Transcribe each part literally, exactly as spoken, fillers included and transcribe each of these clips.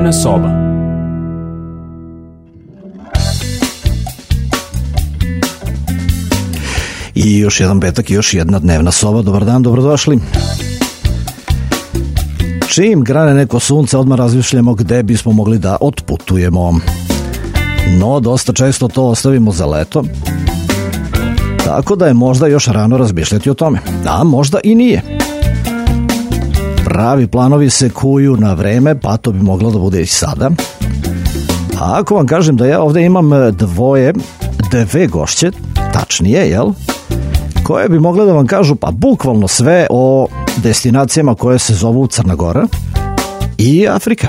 Dnevna soba. I još jedan petak i još jedna dnevna soba. Dobar dan, dobrodošli. Čim grane neko sunce, odmah razmišljamo gde bismo mogli da otputujemo. No, dosta često to ostavimo za leto. Tako da je možda još rano razmišljati o tome. A možda i nije. Pravi planovi se kuju na vreme, pa to bi moglo da bude i sada. A ako vam kažem da ja ovde imam dvoje, dve gošće, tačnije, jel? Koje bi mogle da vam kažu pa bukvalno sve o destinacijama koje se zovu Crna Gora i Afrika.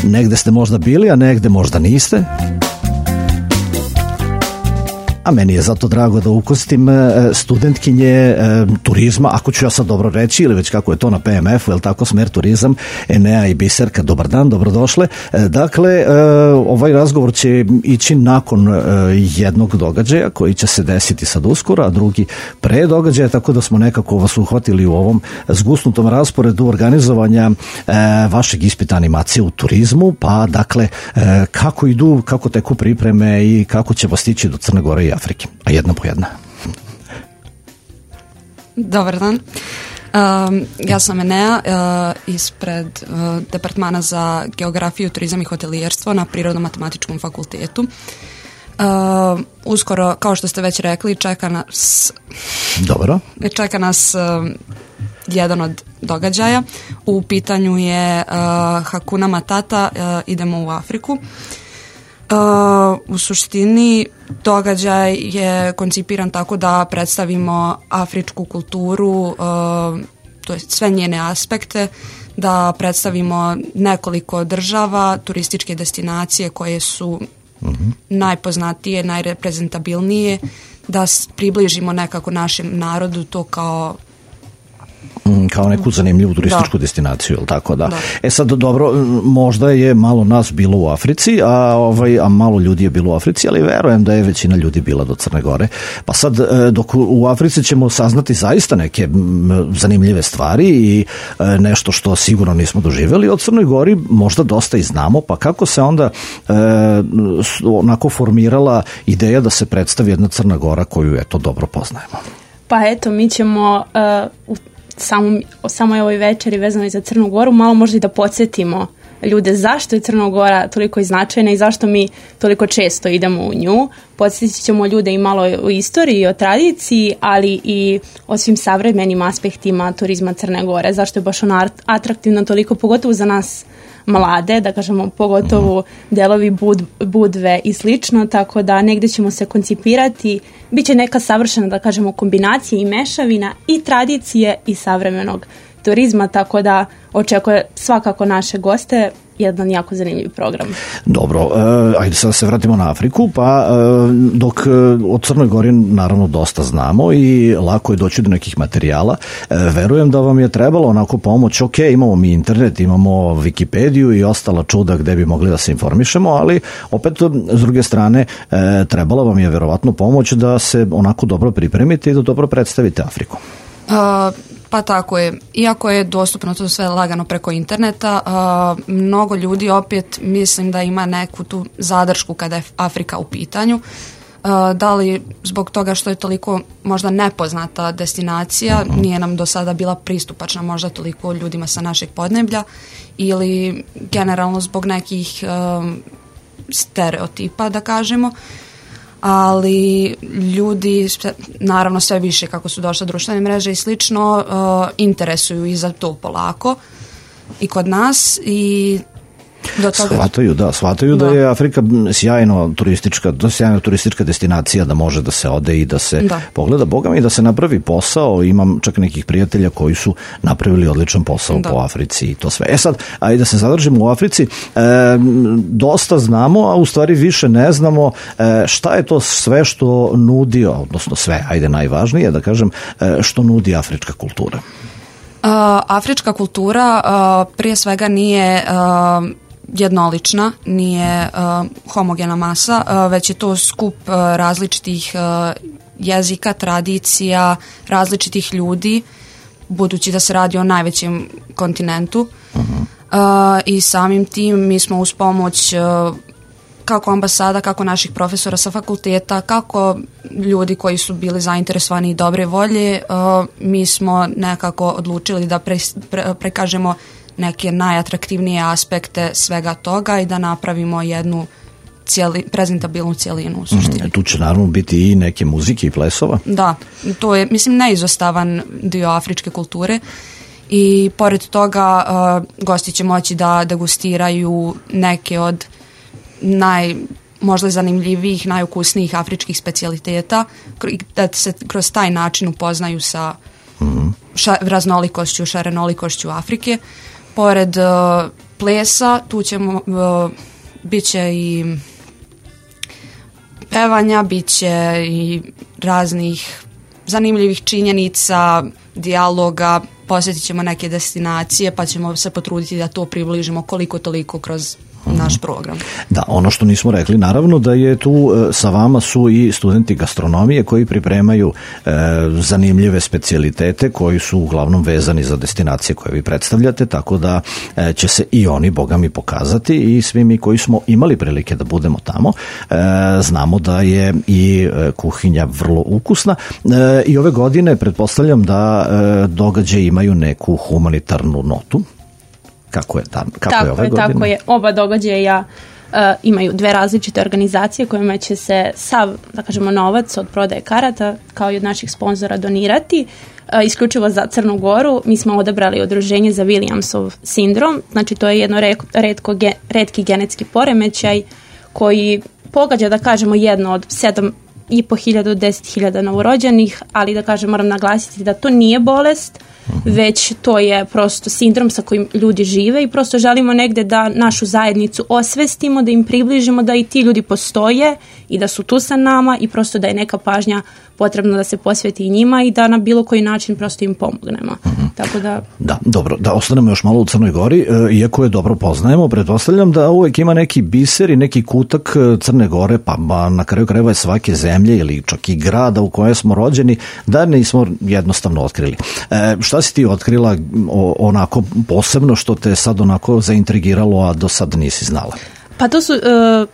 Negde ste možda bili, a negde možda niste. A meni je zato drago da ukostim studentkinje turizma, ako ću ja sad dobro reći, ili već kako je to na P M F-u, je li tako, smer turizam, Enea i Biserka. Dobar dan, dobrodošle. Dakle, ovaj razgovor će ići nakon jednog događaja koji će se desiti sad uskoro, a drugi pre događaja, tako da smo nekako vas uhvatili u ovom zgusnutom rasporedu organizovanja vašeg ispita animacije u turizmu, pa dakle, kako idu, kako teku pripreme i kako ćemo stići do Crne Gore i Afrike, a jedna po jedna. Dobar dan. Um, ja sam Enea uh, ispred uh, Departmana za geografiju, turizam i hotelijerstvo na Prirodno-matematičkom fakultetu. Uh, uskoro, kao što ste već rekli, čeka nas Dobro. čeka nas uh, jedan od događaja. U pitanju je uh, Hakuna Matata, uh, idemo u Afriku. Uh, u suštini događaj je koncipiran tako da predstavimo afričku kulturu, uh, to je sve njene aspekte, da predstavimo nekoliko država, turističke destinacije koje su uh-huh. najpoznatije, najreprezentabilnije, da približimo nekako našem narodu to kao kao neku zanimljivu turističku da. destinaciju, ili tako da. da. E sad, dobro, možda je malo nas bilo u Africi, a, ovaj, a malo ljudi je bilo u Africi, ali verujem da je većina ljudi bila do Crne Gore. Pa sad, dok u Africi ćemo saznati zaista neke zanimljive stvari i nešto što sigurno nismo doživjeli, od Crnoj Gori možda dosta i znamo, pa kako se onda e, onako formirala ideja da se predstavi jedna Crna Gora koju, eto, dobro poznajemo? Pa eto, mi ćemo uh, u Samo, samo je ovoj večeri vezano i za Crnu Goru, malo možda i da podsjetimo ljude zašto je Crna Gora toliko i značajna i zašto mi toliko često idemo u nju. Podsjetit ćemo ljude i malo o istoriji i o tradiciji, ali i o svim savremenim aspektima turizma Crne Gore. Zašto je baš ona atraktivna toliko, pogotovo za nas mlade, da kažemo pogotovo delovi Bud, Budve i slično, tako da negde ćemo se koncipirati, bit će neka savršena, da kažemo, kombinacija i mešavina i tradicije i savremenog turizma, tako da očekuje svakako naše goste jedan jako zanimljiv program. Dobro, e, ajde sad se vratimo na Afriku, pa e, dok e, od Crnoj Gori naravno dosta znamo i lako je doći do nekih materijala, e, verujem da vam je trebalo onako pomoć, ok, imamo mi internet, imamo Wikipediju i ostala čuda gde bi mogli da se informišemo, ali opet s druge strane e, trebala vam je verovatno pomoć da se onako dobro pripremite i da dobro predstavite Afriku. Uh, pa tako je. Iako je dostupno to sve lagano preko interneta, uh, mnogo ljudi opet mislim da ima neku tu zadršku kada je Afrika u pitanju. Uh, da li zbog toga što je toliko možda nepoznata destinacija, uh-huh. nije nam do sada bila pristupačna možda toliko ljudima sa našeg podneblja, ili generalno zbog nekih um, stereotipa, da kažemo. Ali ljudi, naravno sve više kako su došle društvene mreže i slično, uh, interesuju i za to polako i kod nas i do toga... Shvataju, da, shvataju da. da je Afrika sjajno turistička, da sjajna turistička destinacija, da može da se ode i da se da. pogleda, Boga mi, da se napravi posao. Imam čak nekih prijatelja koji su napravili odličan posao da. po Africi i to sve. E sad, ajde da se zadržimo u Africi. E, dosta znamo, a u stvari više ne znamo e, šta je to sve što nudi, odnosno sve, ajde najvažnije da kažem, e, što nudi afrička kultura. Uh, afrička kultura uh, prije svega nije uh, jednolična, nije uh, homogena masa, uh, već je to skup uh, različitih uh, jezika, tradicija, različitih ljudi, budući da se radi o najvećem kontinentu. Uh-huh. i samim tim mi smo uz pomoć uh, kako ambasada, kako naših profesora sa fakulteta, kako ljudi koji su bili zainteresovani i dobre volje, uh, mi smo nekako odlučili da pre, pre, prekažemo neke najatraktivnije aspekte svega toga i da napravimo jednu cijeli, prezentabilnu cijelinu u suštini. Mm, tu će naravno biti i neke muzike i plesova. Da, to je, mislim, neizostavan dio afričke kulture i pored toga uh, gosti će moći da degustiraju neke od naj, možda zanimljivijih, najukusnijih afričkih specijaliteta, da se kroz taj način upoznaju sa mm. ša, raznolikošću, šarenolikošću Afrike. Pored uh, plesa, tu ćemo, uh, bit će i pevanja, bit će i raznih zanimljivih činjenica, dijaloga, posjetit ćemo neke destinacije, pa ćemo se potruditi da to približimo koliko toliko kroz naš program. Da, ono što nismo rekli, naravno da je tu sa vama su i studenti gastronomije koji pripremaju e, zanimljive specijalitete koji su uglavnom vezani za destinacije koje vi predstavljate, tako da e, će se i oni, boga mi, pokazati i svi mi koji smo imali prilike da budemo tamo, e, znamo da je i e, kuhinja vrlo ukusna e, i ove godine pretpostavljam da e, događaje imaju neku humanitarnu notu. Kako je, tam, kako tako je ove je, godine? Tako je, oba događaja uh, imaju dve različite organizacije kojima će se sav, da kažemo, novac od prodaje karata kao i od naših sponzora donirati. Uh, isključivo za Crnu Goru mi smo odabrali udruženje za Williamsov sindrom, znači to je jedno retko, retki genetski poremećaj koji pogađa, da kažemo, jedno od sedam i po hiljada do deset hiljada novorođenih, ali da kažem, moram naglasiti da to nije bolest, već to je prosto sindrom sa kojim ljudi žive i prosto želimo negde da našu zajednicu osvestimo, da im približimo da i ti ljudi postoje i da su tu sa nama i prosto da je neka pažnja potrebno da se posveti i njima i da na bilo koji način prosto im pomognemo. Mm-hmm. Tako da... Da, dobro, da ostanemo još malo u Crnoj Gori, iako je dobro poznajemo, pretpostavljam da uvijek ima neki biser i neki kutak Crne Gore, pa na kraju krajeva je svake zemlje ili čak i grada u kojem smo rođeni, da nismo jednostavno otkrili. E, šta si ti otkrila o, onako posebno što te sad onako zaintrigiralo, a do sad nisi znala? Pa to su uh,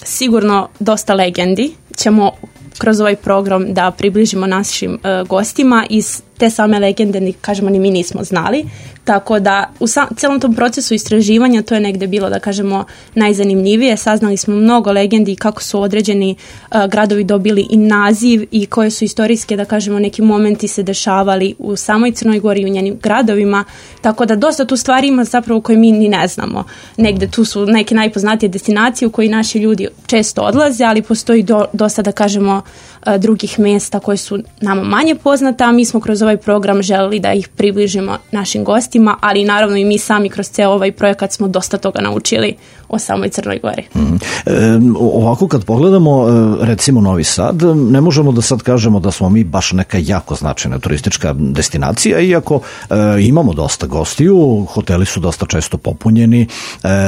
sigurno dosta legendi. Ćemo kroz ovaj program da približimo našim uh, gostima i te same legende, ni, kažemo, ni mi nismo znali. Tako da u sam, celom tom procesu istraživanja to je negde bilo, da kažemo, najzanimljivije. Saznali smo mnogo legendi kako su određeni uh, gradovi dobili i naziv i koje su istorijske, da kažemo, neki momenti se dešavali u samoj Crnoj Gori i u njenim gradovima. Tako da dosta tu stvari ima zapravo koje mi ni ne znamo. Negde tu su neke najpoznatije destinacije u koji naši ljudi često odlaze, ali postoji do, dosta, da kažemo, uh, drugih mesta koje su nama manje poznata, a mi smo kroz ovaj program želeli da ih približimo našim gostima, ali naravno i mi sami kroz ceo ovaj projekat smo dosta toga naučili o samoj Crnoj Gori. Mm. E, ovako kad pogledamo recimo Novi Sad, ne možemo da sad kažemo da smo mi baš neka jako značajna turistička destinacija, iako e, imamo dosta gostiju, hoteli su dosta često popunjeni, e,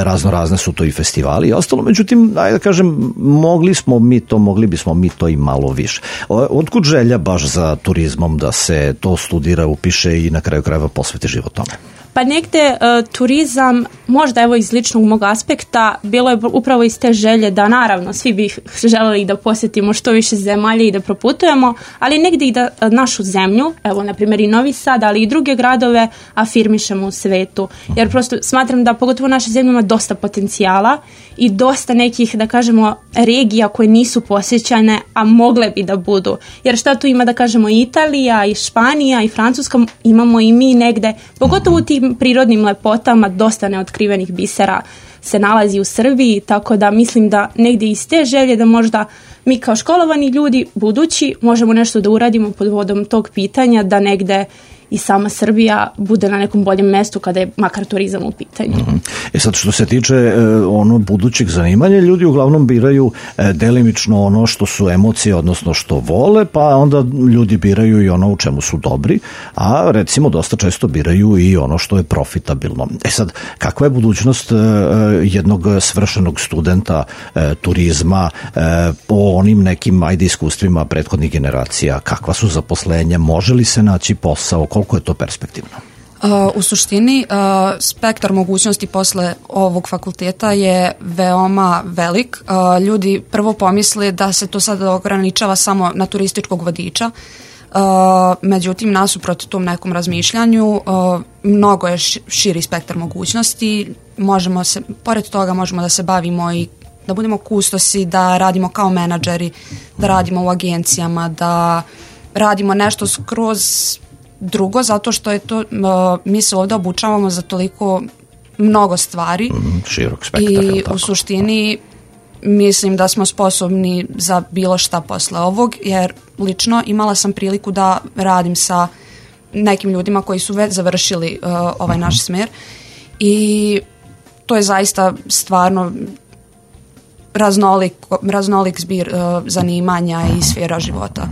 razno razne su to i festivali i ostalo, međutim, ajde da kažem, mogli smo mi to, mogli bismo mi to i malo više. Otkud želja baš za turizmom da se to studira, upiše i na kraju krajeva posveti život tome? Pa negde uh, turizam, možda evo iz ličnog mog aspekta, bilo je upravo iz te želje da naravno svi bi želeli da posjetimo što više zemalja i da proputujemo, ali negde i da našu zemlju, evo na primjer i Novi Sad, ali i druge gradove afirmišemo u svetu. Jer prosto smatram da pogotovo naša zemlja ima dosta potencijala i dosta nekih, da kažemo, regija koje nisu posjećane, a mogle bi da budu. Jer šta tu ima, da kažemo, i Italija, i Španija, i Francuska, imamo i mi negde, pogotovo u tim prirodnim lepotama, dosta neotkrivenih bisera se nalazi u Srbiji, tako da mislim da negdje iz te želje da možda mi kao školovani ljudi budući možemo nešto da uradimo pod vodom tog pitanja, da negde i sama Srbija bude na nekom boljem mestu kada je makar turizam u pitanju. Mm-hmm. E sad, što se tiče e, ono budućih zanimanja, ljudi uglavnom biraju e, delimično ono što su emocije, odnosno što vole, pa onda ljudi biraju i ono u čemu su dobri, a recimo dosta često biraju i ono što je profitabilno. E sad, kakva je budućnost e, jednog svršenog studenta e, turizma e, po onim nekim, ajde, iskustvima prethodnih generacija? Kakva su zaposlenja? Može li se naći posao? Koliko je to perspektivno? U suštini, spektar mogućnosti posle ovog fakulteta je veoma velik. Ljudi prvo pomisle da se to sada ograničava samo na turističkog vodiča, međutim, nasuprot tom nekom razmišljanju, mnogo je širi spektar mogućnosti. Možemo se, pored toga možemo da se bavimo i da budemo kustosi, da radimo kao menadžeri, da radimo u agencijama, da radimo nešto skroz drugo, zato što je to, mi se ovdje obučavamo za toliko mnogo stvari. Mm, širok spektar. I u suštini mislim da smo sposobni za bilo šta posle ovog, jer lično imala sam priliku da radim sa nekim ljudima koji su već završili uh, ovaj naš smer i to je zaista stvarno raznolik, raznolik zbir uh, zanimanja i sfera života.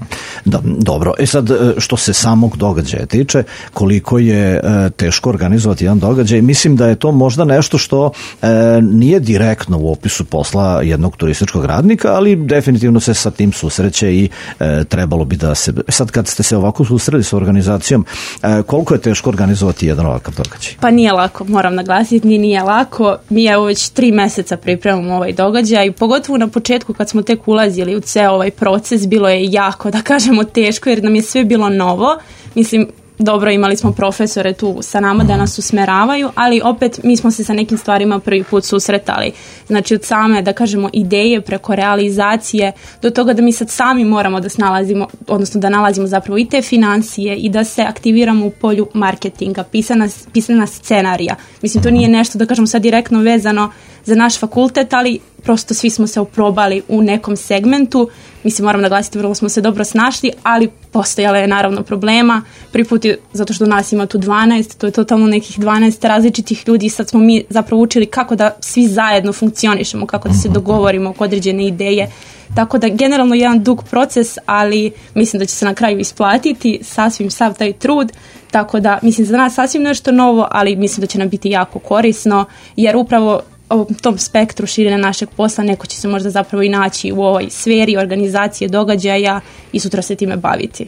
Da, dobro, e sad što se samog događaja tiče, koliko je e, teško organizovati jedan događaj, mislim da je to možda nešto što e, nije direktno u opisu posla jednog turističkog radnika, ali definitivno se sa tim susreće i e, trebalo bi da se... Sad kad ste se ovako susreli sa organizacijom, e, koliko je teško organizovati jedan ovakav događaj? Pa nije lako, moram naglasiti, nije, nije lako. Mi evo već tri meseca pripremamo ovaj događaj, pogotovo na početku kad smo tek ulazili u ceo ovaj proces, bilo je jako, da kažemo, teško jer nam je sve bilo novo. Mislim, dobro, imali smo profesore tu sa nama da nas usmeravaju, ali opet mi smo se sa nekim stvarima prvi put susretali. Znači od same, da kažemo, ideje preko realizacije do toga da mi sad sami moramo da snalazimo, odnosno da nalazimo zapravo i te financije i da se aktiviramo u polju marketinga, pisana, pisana scenarija. Mislim, to nije nešto, da kažemo, sad direktno vezano za naš fakultet, ali prosto svi smo se oprobali u nekom segmentu. Mislim, moram naglasiti, vrlo smo se dobro snašli, ali postojala je naravno problema. Prvi put je, zato što nas ima tu dvanaest, to je totalno nekih dvanaest različitih ljudi i sad smo mi zapravo učili kako da svi zajedno funkcionišemo, kako da se dogovorimo oko određene ideje. Tako da generalno jedan dug proces, ali mislim da će se na kraju isplatiti sasvim sav taj trud. Tako da mislim za nas sasvim nešto novo, ali mislim da će nam biti jako korisno, jer upravo u tom spektru širenja našeg posla neko će se možda zapravo i naći u ovoj sferi organizacije događaja i sutra se time baviti.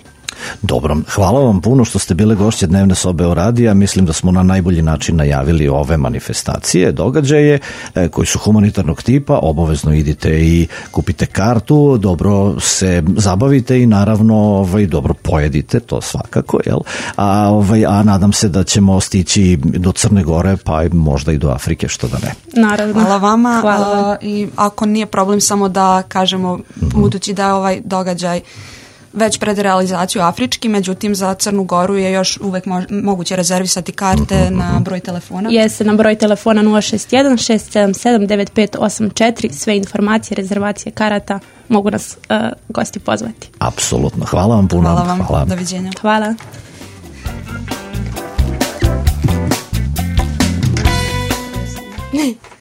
Dobro, hvala vam puno što ste bile gošće Dnevne sobe o radija. Mislim da smo na najbolji način najavili ove manifestacije, događaje e, koji su humanitarnog tipa. Obavezno idite i kupite kartu, dobro se zabavite i naravno ovaj, dobro pojedite, to svakako, jel? A, ovaj, a nadam se da ćemo stići do Crne Gore, pa možda i do Afrike, što da ne. Naravno. Hvala vama. Hvala. A, i ako nije problem samo da kažemo, mm-hmm. budući da je ovaj događaj već pred realizaciju afrički, međutim za Crnu Goru je još uvek mo- moguće rezervisati karte uh-huh. na broj telefona. Jeste, na broj telefona nula šest jedan šest sedam sedam devet pet osam četiri. Sve informacije, rezervacije karata mogu nas uh, gosti pozvati. Apsolutno. Hvala vam puno. Hvala vam. Hvala. Doviđenja. Hvala.